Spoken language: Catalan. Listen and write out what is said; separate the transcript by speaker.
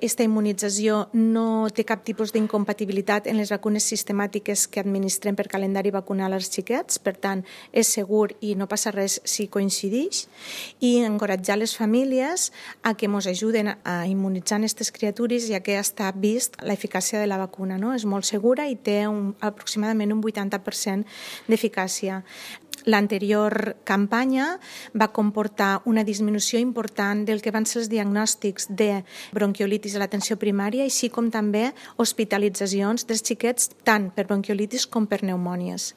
Speaker 1: Aquesta immunització no té cap tipus d'incompatibilitat en les vacunes sistemàtiques que administrem per calendari vacunal als xiquets, per tant, és segur i no passa res si coincideix, i encoratjar les famílies a que ens ajuden a immunitzar aquestes criatures, ja que està vist l'eficàcia de la vacuna, no? És molt segura i té aproximadament un 80% d'eficàcia. L'anterior campanya va comportar una disminució important del que van ser els diagnòstics de bronquiolitis a l'atenció primària, així com també hospitalitzacions dels xiquets tant per bronquiolitis com per pneumònies.